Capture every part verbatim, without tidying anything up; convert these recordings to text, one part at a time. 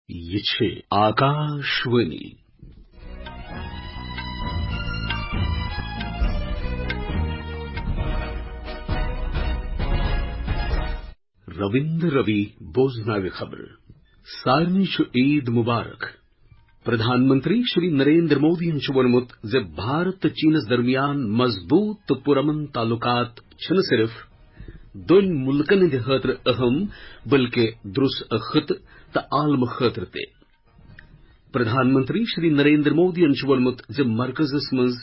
یہِ چھِ آکاشوٲنی۔ رٔوِندر رٔوی بوزناوِ خبرٕ۔ سارنٕے چھُ عیٖد مُبارک۔ پرٛدھان منتری شری نریندر مودیَن چھُ ووٚنمُت زِ بھارت تہٕ چینَس درمیان مضبوٗط تہٕ پُرامن تعلقات چھِنہٕ صرف دۄن مُلکَن ہٕنٛدِ خٲطرٕ اہم، بلکہِ درٛس خطہٕ تہٕ عالمہٕ خٲطرٕ تہِ۔ پرٛدھان منتری شری نریندر مودیَن چھُ ووٚنمُت زِ مرکزَس منٛز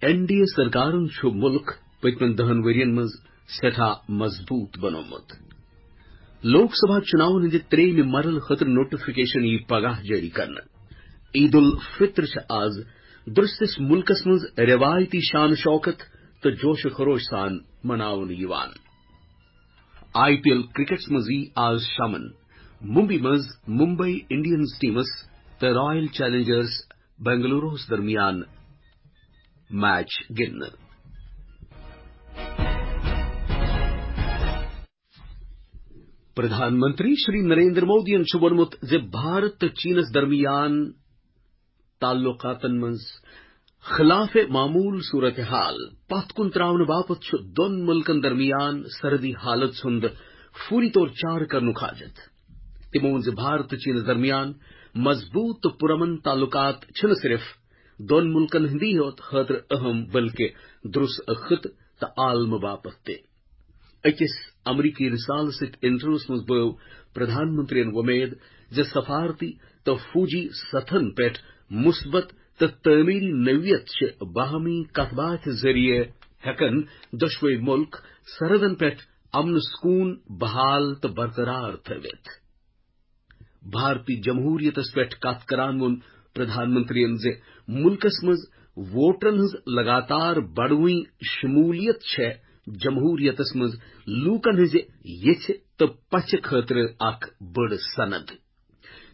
این ڈی اے سرکارَن چھُ مُلک پٔتمٮ۪ن دَہَن ؤرۍ یَن منٛز سٮ۪ٹھاہ مضبوٗط بنوومُت۔ لوک سبھا چُناون ہٕنٛدِ ترٛیٚیِمہِ مرحلہٕ خٲطرٕ نوٹیفکیشن یِیہِ پگاہ جٲری کرنہٕ۔ عید الفطر چھِ آز درٛستِس مُلکَس منٛز رٮ۪وایتی شان شوکت تہٕ جوش و خروش سان مناونہٕ یِوان۔ آئی پی ایل کرکٹس منٛز یِیہِ آز شامَن ممبئی منٛز ممبئی انڈینز ٹیمَس تہٕ رائل چیلنجرز بنگلوروَس درمیان میچ گِنٛدنہٕ۔ پرٛدھان منتری شری نریندر مودیَن چھُ ووٚنمُت زِ بھارت تہٕ چینَس درمیان تعلقاتَن منٛز خلاف معمول صورتحال پتھ کُن تراونہٕ باپتھ چھُ دۄن مُلکَن درمیان سرحدی حالت ہُنٛد فوری طور چارٕ کرنُک حاجت۔ تِمو ووٚن زِ بھارت تہٕ چینَس درمیان مضبوٗط تہٕ پُرامن تعلقات چھِنہٕ صرف دۄن مُلکَن ہٕنٛدی یوت خٲطرٕ اہم، بلکہِ درٛس خطہٕ تہٕ عالمہٕ باپتھ تہِ۔ أکِس امریکی رسالس سۭتۍ انٹرویوس منٛز بٲو پرٛدھان منتریَن وۄمید زِ سفارتی تہٕ فوجی سطحن پٮ۪ٹھ مثبت تہٕ تعمیری نوعیت چھِ باہمی کتھ باتھِ ذٔریعہٕ ہٮ۪کن دۄشوے مُلک سرحدن پٮ۪ٹھ امن سکون بحال تہٕ برقرار تھٲوِتھ۔ بھارتی جمہوریتس پٮ۪ٹھ کتھ کران ووٚن پرٛدھان منتریَن زِ مُلکس منٛز ووٹرن ہٕنٛز لگاتار بڑوٕنۍ شمولیت چھےٚ جمہوریتس منٛز لوٗکن ہٕنٛزِ یژھِ تہٕ پژھِ خٲطرٕ اکھ بٔڑ سند۔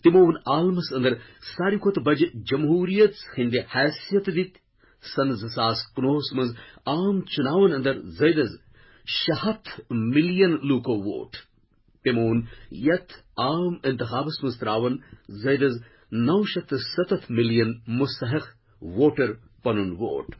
تِمو ووٚن عالمس اندر ساروی کھۄتہٕ بجہِ جمہوریت ہٕنٛدِ حیثیت دِتۍ سن زٕ ساس کُنوُہس منٛز عام چُناون اندر زٲیدس شےٚ ہتھ ملین لوٗکو ووٹ۔ تِمو ووٚن یتھ عام انتخابس منٛز تراون زٲیدس نو شیٚتھ تہٕ ستتھ ملین مستحق ووٹر پنُن ووٹ۔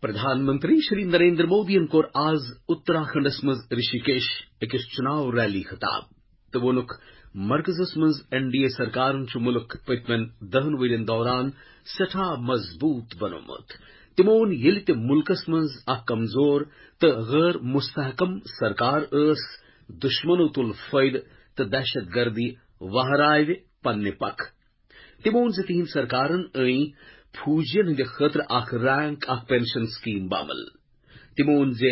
پرٛدھان منتری شری نریندر مودیَن کوٚر آز اتراکھنڈس منٛز رشی کیش أکِس چُناو ریلی خطاب تہٕ ووٚنُکھ، مرکزس منٛز این ڈی اے سرکارن چھُ مُلک پٔتمٮ۪ن دَہَن ؤرۍ یَن دوران سٮ۪ٹھاہ مضبوٗط بنوومُت۔ تِمو ووٚن، ییٚلہِ تہِ مُلکس منٛز اکھ کمزور تہٕ غٲر مستحکم سرکار ٲس، دُشمنو تُل فٲیدٕ تہٕ دہشت گردی وہراوِ پننہِ پکھ۔ تِمو ووٚن زِ تِہنٛدِ سرکارن أنۍ فوجین ہٕنٛدِ خٲطرٕ اکھ رینک اکھ پنشن سکیم بامل۔ تِمو ووٚن زِ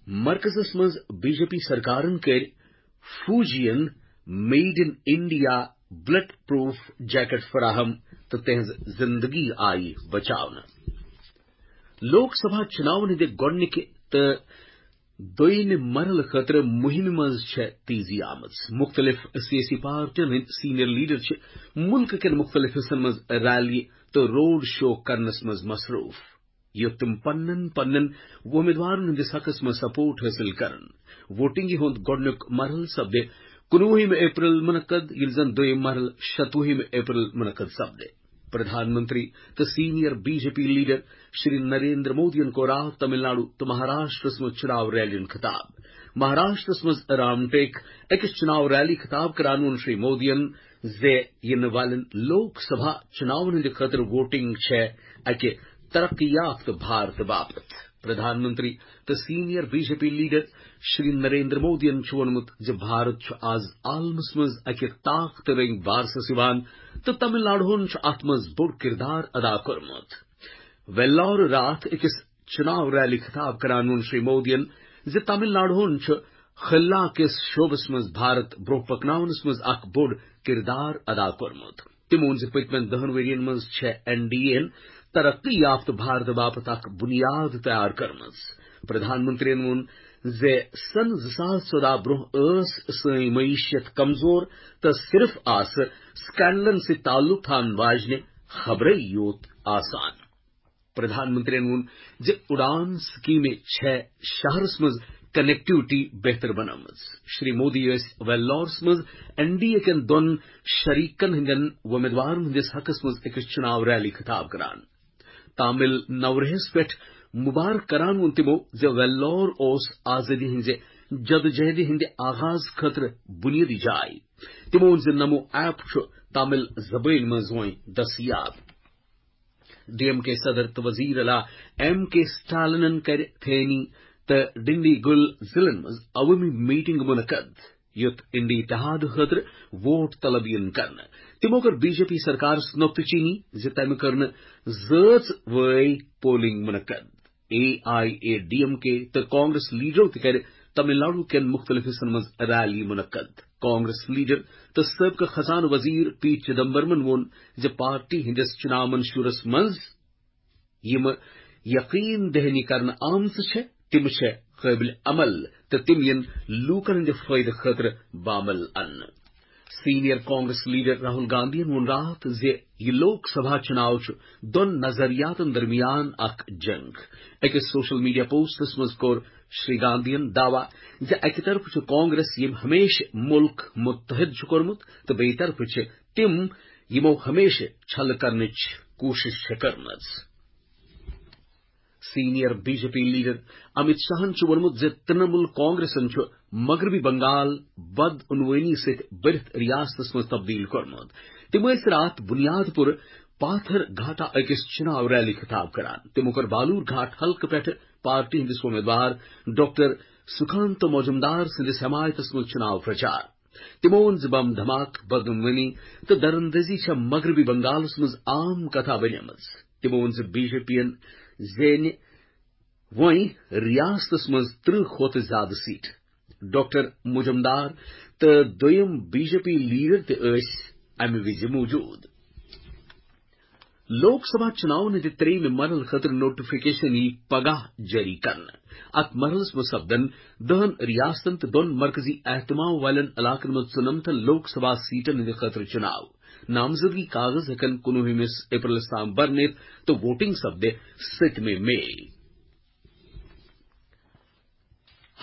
مرکزس منٛز بی جے پی سرکارن کٔرۍ فوجین made in India bullet proof jacket فراہم تہٕ تِہنٛز زندگی آیہِ بچاونہٕ۔ لوک سبھا چُناون ہٕنٛدِ گۄڈٕنِکہِ تہٕ دوٚیمہِ مرحلہٕ خٲطرٕ مُہِمہِ منٛز چھےٚ تیزی آمٕژ۔ مُختٔلِف سیٲسی پارٹین ہٕنٛدۍ سینئر لیڈر چھِ مُلکہٕ کٮ۪ن مُختٔلِف حصن منٛز ریلی تہٕ روڈ شو کرنس منٛز مصروٗف، یوٚت تِم پننٮ۪ن پننٮ۪ن وۄمیدوارن ہٕنٛدِس حقس منٛز سپورٹ حٲصِل کرن۔ ووٹنگہِ ہُنٛد گۄڈٕنیُک مرحلہٕ سپدِ کُنوُہمہِ اپریل منعقد، ییٚلہِ زن دوٚیِم مرحلہٕ شتوُہمہِ اپریل منعقد سپدِ۔ پرٛدھان منتری تہٕ senior B J P leader Shri Narendra مودیَن کوٚر راتھ تمل ناڈو تہٕ مہاراشٹرس منٛز چُناو ریلیَن خطاب۔ مہاراشٹرس منٛز رام ٹیک أکِس چُناو ریلی خطاب کران ووٚن شری مودیَن زِ یِنہٕ والٮ۪ن لوک سبھا چُناون ہٕنٛدِ خٲطرٕ ووٹنگ چھےٚ اکہِ ترقی یافتہٕ بھارتہٕ باپتھ۔ پرٛدھان منتری تہٕ senior B J P leader Shri Narendra مودیَن چھُ ووٚنمُت زِ بھارت چھُ آز عالمس منٛز اکہِ طاقتہٕ رٔنگۍ بارسس یِوان تہٕ تمل ناڈوہن چھُ اتھ منٛز بوٚڑ کردار ادا کوٚرمُت۔ ویلور راتھ أکِس چُناو ریلی خطاب کران ووٚن شری مودیَن زِ تمل ناڈوہن چھُ خلا کِس شعبس منٛز بھارت برونٛہہ پکناونس منٛز اکھ بوٚڑ کردار ادا کوٚرمُت۔ تِمو ووٚن زِ پٔتمٮ۪ن دَہَن ؤرۍ یَن منٛز چھےٚ این ڈی اے یَن ترقی یافتہٕ بھارتہٕ باپتھ اکھ بُنیاد تیار کٔرمٕژ۔ پرٛدھان منتریَن ووٚن زِ سن زٕ ساس ژۄداہ برٛونٛہہ ٲس سٲنۍ معیشت کمزور تہٕ صرف آسہٕ سکینڈلن سۭتۍ تعلق تھاون واجنہِ خبرے یوت آسان۔ پرٛدھان منتریَن ووٚن زِ اُڑان سکیٖمہِ چھےٚ شہرس منٛز کنیکٹیوٹی بہتر بنٲومٕژ۔ شری مودی ٲسۍ ویلورس منٛز این ڈی اے کٮ۪ن دۄن شریکن ہٕنٛدٮ۪ن وۄمیدوارن ہٕنٛدِس حقس منٛز أکِس چُناو ریلی خطاب کران۔ تامل نوریہس پٮ۪ٹھ مبارک کران ووٚن تِمو زِ ویلور اوس آزٲدی ہٕنٛزِ جدوجہدِ ہٕنٛدِ آغاز خٲطرٕ بُنیٲدی جاے۔ تِمو ووٚن زِ نمو ایپ چھُ تامل زبٲنۍ منٛز وۄنۍ دٔستیاب۔ ڈی ایم کے صدر تہٕ وزیر اعلیٰ ایم کے سٹالنن کَرِ تھینی تہٕ ڈنڈی گُل ضلعن منٛز عوٲمی میٹنگ منعقد، یُتھ انڈی اتحاد خٲطرٕ ووٹ طلب یِن کرنہٕ۔ تِمو کٔر بی جے پی سرکارس نۄقطہٕ چینی زِ تٔمۍ کٔر نہٕ زٲژ وٲے پولنگ منعقد۔ A I A D M K تہٕ کانگریس لیڈرو تہِ کَرِ تمل ناڈو کٮ۪ن مُختٔلِف حصن منٛز ریلی منعقد۔ کانگریس لیڈر تہٕ سٲبقہٕ خزانہٕ وزیر پی چدمبرمن ووٚن زِ پارٹی ہٕنٛدِس چُناو منشورس منٛز یِم یقین دہانی کرنہٕ آمژٕ چھےٚ، تِم چھےٚ قٲبلِ عمل تہٕ تِم یِن لوٗکن ہٕنٛدِ فٲیدٕ خٲطرٕ بعمل اننہٕ۔ سینئر کانگریس لیڈر راہل گاندھین ووٚن راتھ زِ یہِ لوک سبھا چُناو چھُ دۄن نظریاتن درمیان اکھ جنگ۔ أکِس سوشل میڈیا پوسٹس منٛز کوٚر شری گاندھین دعویٰ زِ اکہِ طرفہٕ چھُ کانگریس، ییٚمۍ ہمیشہٕ مُلک متحد چھُ کوٚرمُت، تہٕ بیٚیہِ طرفہٕ چھِ تِم، یِمو ہمیشہٕ چھلہٕ کرنٕچ کوٗشش چھےٚ کٔرمٕژ۔ Senior B J P leader Amit شاہن چھُ ووٚنمُت زِ ترنمول کانگریسن چھُ مغربی بنگال بدعنوٲنی سۭتۍ بٔرِتھ ریاستس منٛز تبدیل کوٚرمُت۔ تِم ٲسۍ راتھ بنیاد پور پاتھر گھاٹا أکِس چُناو ریلی خطاب کران۔ تِمو کوٚر بالور گھاٹ حلقہٕ پٮ۪ٹھٕ پارٹی ہٕنٛدِس وۄمیدوار ڈاکٹر سکانت مجمدار سٕنٛدِس حمایتس منٛز چُناو پرچار۔ تِمو ووٚن زِ بم دھماکہٕ، بدعنوٲنی تہٕ دراندازی چھےٚ مغربی بنگالس منٛز عام کتھا بنیمٕژ۔ تِمو ووٚن زِ بی جے پی ین زینہِ وۄنۍ ریاستس منٛز ترٕٛہ کھۄتہٕ زیادٕ سیٹہٕ۔ ڈاکٹر مجمدار تہٕ دوٚیِم بی جے پی لیڈر تہِ ٲسۍ امہِ وِزِ موجود۔ لوک سبھا چُناون ہٕنٛدِ ترٛیٚیِمہِ مرحلہٕ خٲطرٕ نوٹیفکیشن یِیہِ پگاہ جٲری کرنہٕ۔ اتھ مرحلس منٛز سپدن دہن ریاستن تہٕ دۄن مرکزی اہتمام والٮ۪ن علاقن منٛز ژُنمتن لوک سبھا سیٹن ہٕنٛدِ خٲطرٕ چُناو۔ نامزدگی کاغذ ہٮ۪کن کُنوُہمِس اپریلس تام برنِتھ تہٕ ووٹنگ سپدِ سٔتمہِ مئی۔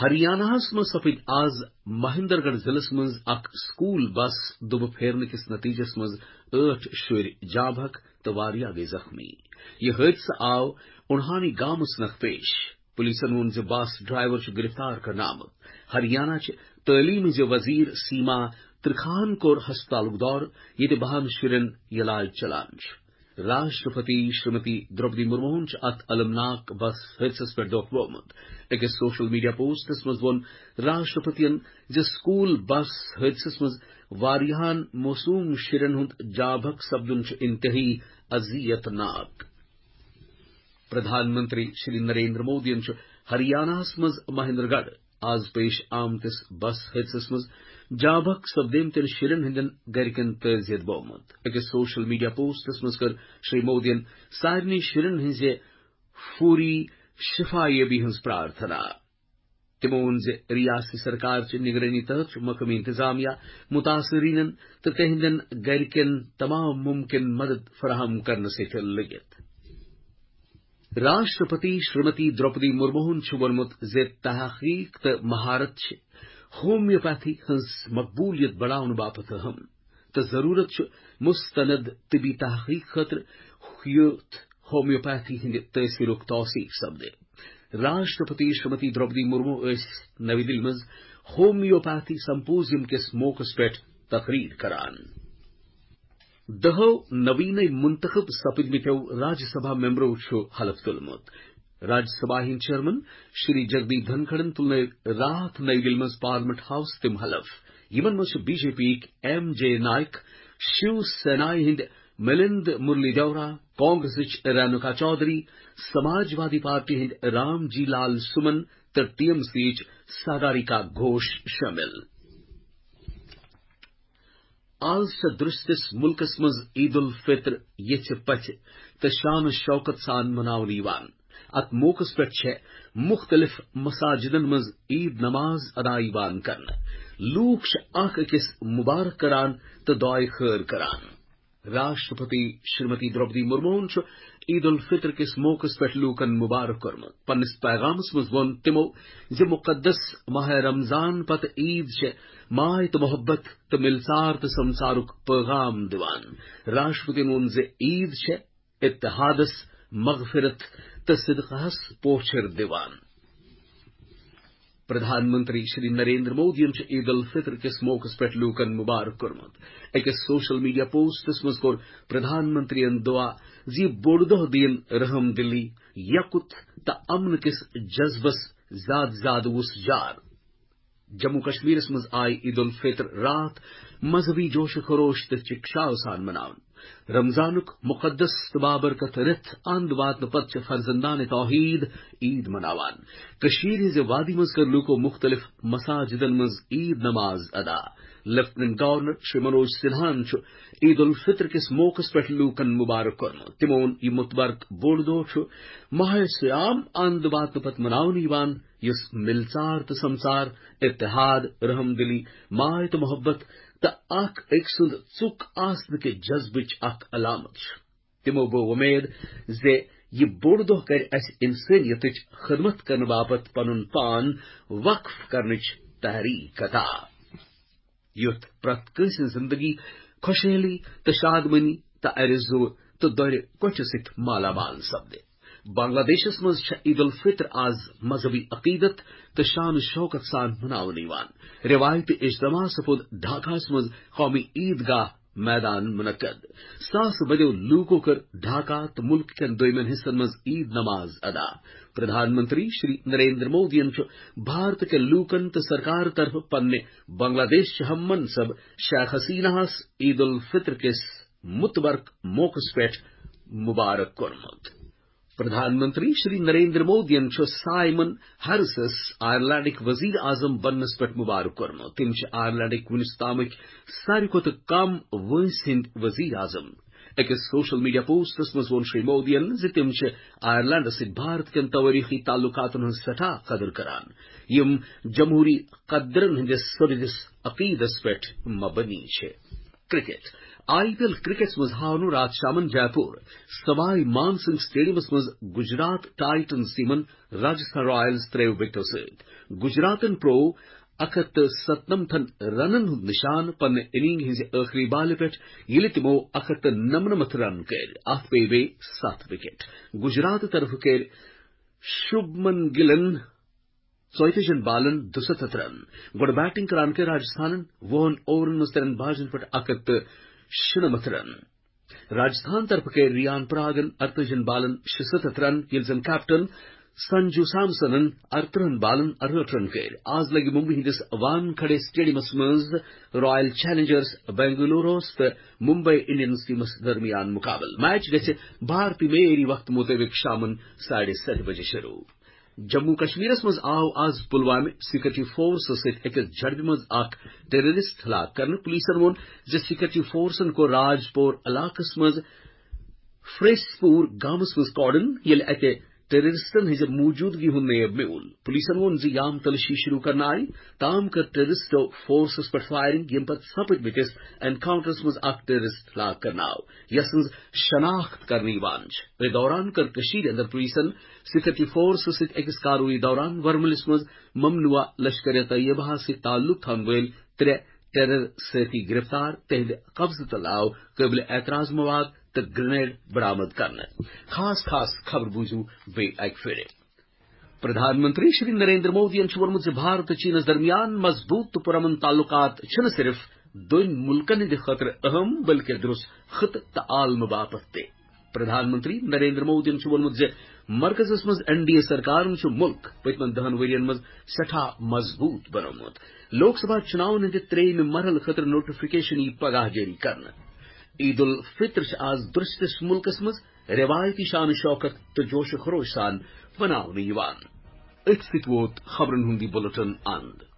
ہریاناہس منٛز سپٕدۍ آز مہندر گڑھ ضلعس منٛز اکھ سکول بس دُبہٕ پھیرنہٕ کِس نتیجس منٛز ٲٹھ شُرۍ جاں بحق تہٕ واریاہ گٔیہِ زخمی۔ یہِ حٲدثہٕ آو اُڑہانی گامس نکھ پیش۔ پولیسن ووٚن زِ بس ڈرائیور چھُ گرفتار کرنہٕ آمُت۔ ہریانہ چہِ تعلیمہِ ہٕنٛزِ وزیر سیما ترکھاہن کوٚر ہسپتالُک دورٕ، ییٚتہِ بہن شُرٮ۪ن علاج چلان چھُ۔ راشٹرپتی شریمتی دروپدی مرموہن چھُ اتھ المناک بس حٲدثس پٮ۪ٹھ دۄکھ ووٚمُت۔ أکِس سوشل میڈیا پوسٹس منٛز ووٚن راشٹرپتین زِ سکول بس حٲدثس منٛز واریاہن معصوم شُرٮ۪ن ہُنٛد جاں بحق سپدُن چھُ انتہٲئی اذیت ناک۔ پردھان منتری شری نریندر مودیَن چھُ ہریاناہَس منٛز مہندر گڑھ آز پیش آمتِس بس حٲدثس منٛز جاں بحق سپدیمتٮ۪ن شُرٮ۪ن ہٕنٛدٮ۪ن گرِکٮ۪ن تعزیت بومُت۔ أکِس سوشل میڈیا پوسٹس منٛز کٔر شری مودیَن سارنٕے شُرٮ۪ن ہٕنٛزِ فوری شفا یابی ہٕنٛز پرارتھنا۔ تِمو ووٚن زِ ریاستی سرکار چہِ نگرٲنی تحت چھُ مقٲمی انتظامیہ متاثرینن تہٕ تِہنٛدٮ۪ن گرِکٮ۪ن تمام ممکن مدد فراہم کرنہٕ سۭتۍ لٔگِتھ۔ راشٹرپتی شریمتی دروپدی مرموہن چھُ ووٚنمُت زِ تحقیق تہٕ مہارت چھِ ہومیوپیتھی ہٕنٛز مقبولیت بڑاونہٕ باپتھ اہم تہٕ ضروٗرت چھُ مستند طبی تحقیق خٲطرٕ یُتھ ہومیوپیتھی ہٕنٛدِ تٲثیرُک توثیق سپدِ۔ راشٹرپتی شریمتی دروپدی مرمو ٲسۍ نوی دِلہِ منٛز ہومیوپیتھی سمپوزیم کِس موقعس پٮ۪ٹھ تقریر کران۔ دہو نوینے منتخب سپدمتیو راجیہ سبھا ممبرو چھُ حلف تُلمُت۔ راجیہ سبھا ہٕنٛدۍ چیئرمین شری جگدیپ دھنکھڑن تُلنٲوۍ راتھ نئی دِلہِ منٛز پارلیمنٹ ہاؤس تِم حلف۔ یِمن منٛز چھِ بی جے پی یِکۍ ایم جے نائک، شیو سینایہِ ہٕنٛدۍ ملند مرلی دیورا، کانگریسٕچ رینوکا چودھری، سماج وادی پارٹی ہٕنٛدۍ رام جی لال سمن تہٕ ٹی ایم سی یِچ ساگاریکا گھوش شٲمِل۔ آز چھےٚ درستِس مُلکس منٛز عید الفطر یژھِ پژھِ تہٕ شان و شوکت سان مناونہٕ یِوان۔ اتھ موقعس پٮ۪ٹھ چھےٚ مُختٔلِف مساجدن منٛز عید نماز ادا یِوان کرنہٕ۔ لوٗکھ چھِ اکھ أکِس مبارک کران تہٕ دعایہِ خٲر کران۔ راشٹرپتی شریمتی دروپدی مرموہن چھُ عید الفطر کِس موقعس پٮ۪ٹھ لوٗکن مبارک کوٚرمُت۔ پننِس پیغامس منٛز ووٚن تِمو زِ مقدس ماہ رمضان پتہٕ عید چھےٚ ماے تہٕ محبت تہٕ ملژار تہٕ سمژارُک پیغام دِوان۔ راشٹرپتین ووٚن زِ عید چھےٚ اتحادس، مغفرت تہٕ صدقہس پوچھر دِوان۔ پردھان منتری شری نریندر مودیَن چھُ عید الفطر کِس موقعس پٮ۪ٹھ لوٗکَن مبارک کوٚرمُت۔ أکِس سوشل میڈیا پوسٹس منٛز کوٚر پردھان منتریَن دعا زِ یہِ بوٚڑ دۄہ دِیِن رحم دلی، یقت تہٕ امن کِس جذبس زیادٕ زیادٕ وُژھ جار۔ جموں کشمیرس منٛز آیہِ عید الفطر راتھ مذہبی جوش و خروش تہٕ چکشاو سان مناونہٕ۔ رمضانُک مقدس تہٕ بابرکت رٮ۪تھ اند واتنہٕ پتہٕ چھِ فرزندان توحید عید مناوان۔ کٔشیٖرِ ہٕنٛزِ وادی منٛز کٔر لوٗکو مُختٔلِف مساجدن منٛز عید نماز ادا۔ لیفٹیننٹ گورنر شری منوج سنہاہن چھُ عید الفطر کِس موقعس پٮ۪ٹھ لوٗکن مبارک کوٚرمُت۔ تِمو ووٚن، یہِ متبرک بوٚڑ دۄہ چھُ ماہ صیام اند واتنہٕ پتہٕ مناونہٕ یِوان، یُس ملژار تہٕ سمژار، اتحاد، رحم دلی، ماے تہٕ محبت تہٕ اکھ أکۍ سُنٛد ژُک آسنہٕ کہِ جذبٕچ اکھ علامت چھُ۔ تِمو گوٚو وۄمید زِ یہِ بوٚڑ دۄہ کرِ اسہِ انسٲنیتٕچ خدمت کرنہٕ باپتھ پنُن پان وقف کرنٕچ تحریک عطا، یُتھ پرٛٮ۪تھ کٲنٛسہِ ہٕنٛز زندگی خۄشحٲلی تہٕ شادمٲنی تہٕ ارزو تہٕ دۄرِ کوٹھِ سۭتۍ مالا مال سپدِ۔ بنگلہ دیشس منٛز چھےٚ عید الفطر آز مذہبی عقیدت تہٕ شان و شوکت سان مناونہٕ یِوان۔ رِوایتی اجتماع سپُد ڈھاکاہس منٛز قومی عید گاہ میدان منعقد۔ ساسہٕ بٔدیو لوٗکو کٔر ڈھاکہ تہٕ مُلکہٕ کٮ۪ن دوٚیمٮ۪ن حصن منٛز عید نماز ادا۔ پردھان منتری شری نریندر مودیَن چھُ بھارت کٮ۪ن لوٗکن تہٕ سرکار طرفہٕ پننہِ بنگلہ دیش چہِ ہم منصب شیخ حسینہ ہس عید الفطر کِس متبرک موقعس پٮ۪ٹھ مبارک کوٚرمُت۔ پردھان منتری شری نریندر مودیَن چھُ سائمن ہیرسس آئرلینڈٕکۍ وزیر اعظم بننس پٮ۪ٹھ مبارک کوٚرمُت۔ تِم چھِ آئرلینڈٕکۍ وُنِس تامٕکۍ ساروی کھۄتہٕ کم وٲنٛسہِ ہٕنٛدۍ وزیر اعظم۔ أکِس سوشل میڈیا پوسٹس منٛز ووٚن شری مودیَن زِ تِم چھِ آئرلینڈس سۭتۍ بھارت کٮ۪ن توٲریخی تعلقاتن ہٕنٛز سٮ۪ٹھاہ قدر کران، یِم جمہوری قدرن ہٕنٛدِس سرٛدِس عقیدس پٮ۪ٹھ مبنی چھِ۔ کرکٹ۔ آئی پی ایل کرکٹس منٛز ہاونو راتھ شامن جے پور سوائی مان سنگھ سٹیڈیمس منٛز گجرات ٹائٹنز ٹیمن راجستھان رائلز ترٛیٚیو وکٹو سۭتۍ۔ گجراتن پرٛوو اکھ ہتھ تہٕ ستنمتھن رنن ہُنٛد نشان پننہِ اننگ ہٕنٛزِ ٲخری بالہِ پٮ۪ٹھ، ییٚلہِ تِمو اکھ ہتھ تہٕ نمنمتھ رن کٔرۍ۔ اتھ پیٚیہِ بیٚیہِ ستھ وکٹ۔ گجرات طرفہٕ کٔرۍ شُبمن گِلن ژۄیتٲجِہن بالن دُستتھ رن۔ گۄڈٕ بیٹنگ کران کٔرۍ راجستھانن وُہن اوورن منٛز ترٛٮ۪ن باجن پٮ۪ٹھ اکھ ہتھ تہٕ شُنمتھ رن۔ راجستھان طرفہٕ کٔرۍ ریان پراگن ارتٲجِہن بالن شُستتھ رن، ییٚلہِ زن کیپٹن سنجو سامسنن ارترٕہن بالن ارہٲٹھ رن کٔرۍ۔ آز لگہِ ممبئی ہٕنٛدِس وانکھڑے سٹیڈیمس منٛز رائل چیلنجرز بنگلوروس تہٕ ممبئی انڈینز ٹیمس درمیان مقابلہٕ۔ میچ گژھِ بھارتی معیٲری وقتہٕ مطٲبق شامن ساڑِ ستہِ بجہِ شروع۔ جموں کشمیرس منٛز آو آز پلوامہ سیکورٹی فورسس سۭتۍ أکِس جھڑپہِ منٛز اکھ ٹیررسٹ ہلاک کرنہٕ۔ پولیسن ووٚن زِ سیکورٹی فورسن کوٚر راج پور علاقس منٛز فریس پور گامس منٛز کارڈن، ییٚلہِ اتہِ ٹیررسٹن ہٕنٛزِ موجودگی ہُنٛد نیب میوٗل۔ پولیسن ووٚن زِ یام تلٲشی شروع کرنہٕ آیہِ، تام کٔر ٹیررسٹو فورسس پٮ۪ٹھ فائرنگ، ییٚمہِ پتہٕ سپٕدمٕتِس انکاؤنٹرس منٛز اکھ ٹیررسٹ ہلاک کرنہٕ آو، یس سٕنٛز شناخت کرنہٕ یِوان چھِ۔ أتھۍ دوران کٔر کٔشیٖرِ اندر پولیسن سیکورٹی فورسس سۭتۍ أکِس کاروٲیی دوران ورملِس منٛز ممنوعہ لشکر طیبہ سۭتۍ تعلق تھاون وٲلۍ ترٛےٚ ٹیرر سٲتھی گرفتار، تہنٛدِ قبضہٕ تل آو قٲبلِ اعتراض مواد تہٕ گرنیڈ برآمد کرنہٕ۔ خاص خاص خبر بوٗزِو بیٚیہِ اکہِ پھِرِ۔ پردھان منتری شری نریندر مودیَن چھُ ووٚنمُت زِ بھارت تہٕ چینس درمیان مضبوط تہٕ پرامن تعلقات چھِنہٕ صرف دۄن مُلکن ہٕنٛدِ خٲطرٕ اہم، بلکہِ درست خطہٕ تہٕ عالمہٕ باپتھ تہِ۔ پردھان منتری نریندر مودیَن چھُ ووٚنمُت زِ مرکزس منٛز این ڈی اے سرکارن چھُ مُلک پٔتمٮ۪ن دَہن ؤرین منٛز سٮ۪ٹھاہ مضبوط بنوومُت۔ لوک سبھا چُناون ہٕنٛدِ ترٛیٚیِمہِ مرحلہٕ خٲطرٕ نوٹیفکیشن یِیہِ پگاہ جٲری کرنہٕ۔ عید الفطر چھِ آز درستِس مُلکس منٛز رٮ۪وایتی شان و شوکت تہٕ جوش و خروش سان مناونہٕ یِوان۔ أتھۍ سۭتۍ ووت خبرن ہُنٛد یہِ بُلٹن اند۔